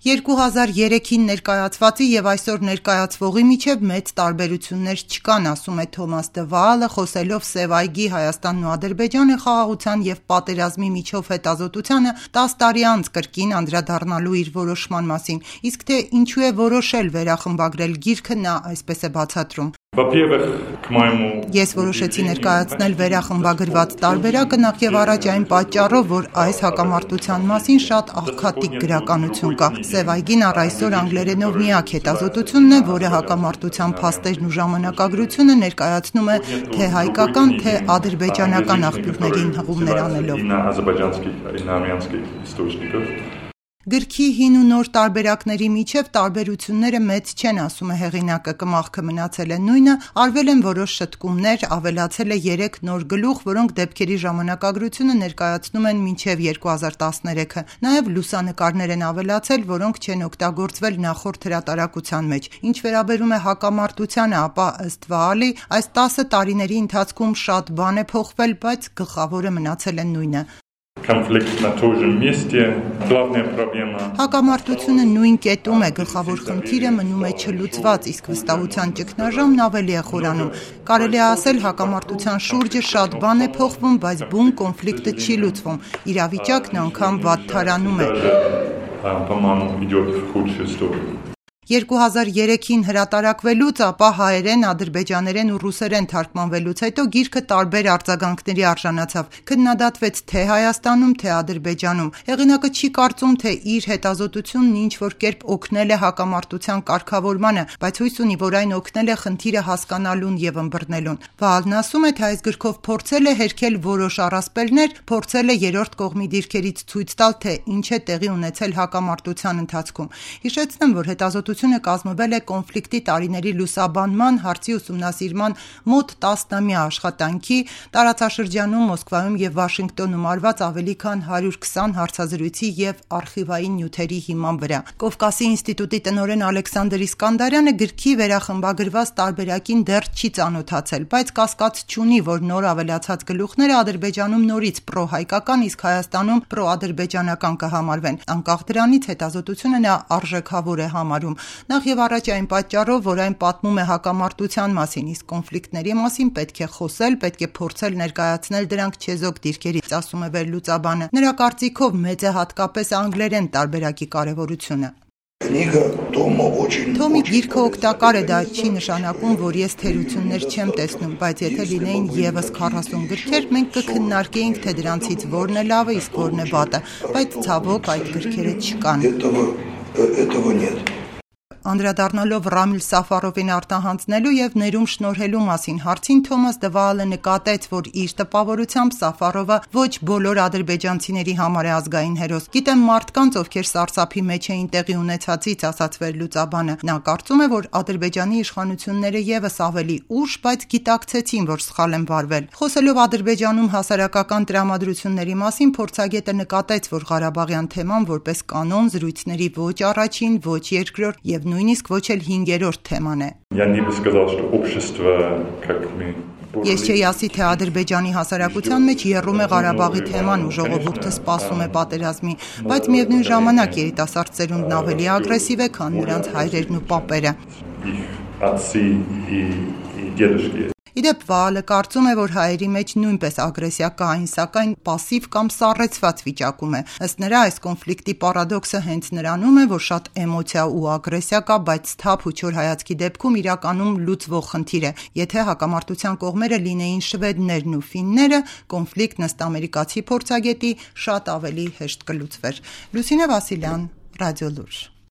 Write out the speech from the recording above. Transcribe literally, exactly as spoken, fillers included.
երկու հազար երեքին ներկայացվածի և այսօր ներկայացվողի միջև մեծ տարբերություններ չկան, ասում է Թոմաս Դը Վաալը, խոսելով Սև այգի Հայաստանն ու Ադրբեջանը խաղաղության և պատերազմի միջով հետազոտությանը տաս տարի անց կրկին անդրադառնալու իր որոշման մասին, իսկ թե ինչու է որոշել վերախմբագրել գիրքը, նա այսպես է բացատրում. Ես որոշեցի ներկայացնել վերախմբագրված տարբերակը նախ և առաջ այն պատճառով, որ այս հակամարտության մասին շատ աղքատիկ գրականություն կա։ Սև այգին առ այսօր անգլերենով միակ հետազոտությունն է, որը հակամարտության փաստերն ու ժամանակագրությունը ներկայացնում է թե հայկական, թե ադրբեջանական աղբյուրներին հղումներ անելով։ Գրքի հին ու նոր տարբերակների միջև տարբերությունները մեծ չեն, ասում է հեղինակը, կմախքը մնացել է նույնը, արվել են որոշ շտկումներ, ավելացել է երեք նոր գլուխ, որոնք դեպքերի ժամանակագրությունը ներկայացնում են մինչև երկու հազար տասներեքը, նաև լուսանկարներ են ավելացել, որոնք չեն օգտագործվել նախորդ հրատարակության մեջ։ Ինչ վերաբերում է հակամարտությանը, ապա ըստ Վաալի, այս տասը տարիների ընթացքում շատ բան է փոխվել, բայց գլխավորը մնացել է նույնը։ Հակամարտությունը նույն կետում է, գլխավոր խնդիրը մնում է չլուծված, իսկ վստահության ճգնաժամն ավելի է խորանում։ Կարելի է ասել, հակամարտության շուրջը շատ բան է փոխվում, բայց բուն կոնֆլիկտը չի լուծվում, իրավիճակն անգամ վատթարանում է։ երկու հազար երեքին հրատարակվելուց, ապա հայերեն, ադրբեջաներեն ու ռուսերեն թարգմանվելուց հետո գիրքը տարբեր արձագանքների արժանացավ, քննադատվեց թե Հայաստանում, թե Ադրբեջանում։ Հեղինակը չի կարծում, թե իր հետազոտությունն ինչ-որ կերպ օգնել է հակամարտության կարգավորմանը, բայց հույս ունի, որ այն օգնել է խնդիրը հասկանալուն և ըմբռնելուն։ Վաալն ասում է, թե այս գրքով փորձել է հերքել որոշ առասպելներ, փորձել է երրորդ կողմի դիրքերից ցույց տալ, թե ինչ է տեղի ունեցել հակամարտության ընթացքում։ Հիշեցնեմ, որ հետազոտությունը կազմվել է կոնֆլիկտի տարիների լուսաբանման, հարցի ուսումնասիրման մոտ տասնամյա աշխատանքի, տարածաշրջանում, Մոսկվայում և Վաշինգտոնում արված ավելի քան հարյուր քսան հարցազրույցի և արխիվային նյութերի հիման վրա։ Կովկասի ինստիտուտի տնօրեն Ալեքսանդր Իսկանդարյանը գրքի վերախմբագրված տարբերակին դեռ չի ծանոթացել, բայց կասկած չունի, որ նոր ավելացած գլուխները Ադրբեջանում նորից պրոհայկական, իսկ Հայաստանում պրոադրբեջանական կհամարվեն։ Անկախ դրանից հետազոտությունը նա արժեքավոր է համարում։ Նախ և առաջ այն պատճառով, որ այն պատմում է հակամարտության մասին, իսկ կոնֆլիկտների մասին պետք է խոսել, պետք է փորձել ներկայացնել դրանք չեզոք դիրքերից, ասում է վերլուծաբանը։ Նրա կարծիքով մեծ է հատկապես անգլերեն տարբերակի կարևորությունը։ Թոմի գիրքը օգտակար է, դա չի նշանակում, որ ես թերություններ չեմ տեսնում, բայց եթե լինեին ևս քառասուն գրքեր, մենք կքննարկեինք, թե դրանցից որն է լավը, իսկ որն է վատը, բայց ցավոք այդ գրքերը չկան։ Անդրադառնալով Ռամիլ Սաֆարովին արտահանձնելու և ներում շնորհելու մասին հարցին, Թոմաս Դը Վաալը նկատեց, որ իր տպավորությամբ Սաֆարովը ոչ բոլոր ադրբեջանցիների համար է ազգային հերոս։ Գիտեմ մարդկանց, ովքեր սարսափի մեջ էին տեղի ունեցածից, ասաց վերլուծաբանը։ Նա կարծում է, որ Ադրբեջանի իշխանությունները ևս ավելի ուշ, բայց գիտակցեցին, որ սխալ են վարվել։ Խոսելով Ադրբեջանում հասարակական տրամադրությունների մասին, փորձագետը նկատեց, որ Ղարաբաղյան թեման որպես կանոն զրույցների ոչ առաջին, ոչ երկրորդ և նույնիսկ ոչ էլ հինգերորդ թեման է։ Ես չէի ասի, թե Ադրբեջանի հասարակության մեջ եռում է Ղարաբաղի թեման ու ժողովուրդը սպասում է պատերազմի, բայց միևնույն ժամանակ երիտասարդ սերունդն ավելի ագրեսիվ է, քան նրանց հայրերն ու պապերը։ Իդեպ Վաալը կարծում է, որ հայերի մեջ նույնպես ագրեսիա կա, այն սակայն պասիվ կամ սառեցված վիճակում է։ Ըստ նրա, այս կոնֆլիկտի պարադոքսը հենց նրանում է, որ շատ էմոցիա ու ագրեսիա կա, բայց սթափ ու չոր հայացքի դեպքում իրականում լուծվող խնդիր է։ Եթե հակամարտության կողմերը լինեին շվեդներն ու ֆինները, կոնֆլիկտն ըստ ամերիկացի փորձագետի շատ ավելի հեշտ կլուծվեր։ Լուսինե Վասիլյան, Ռադիոլուր։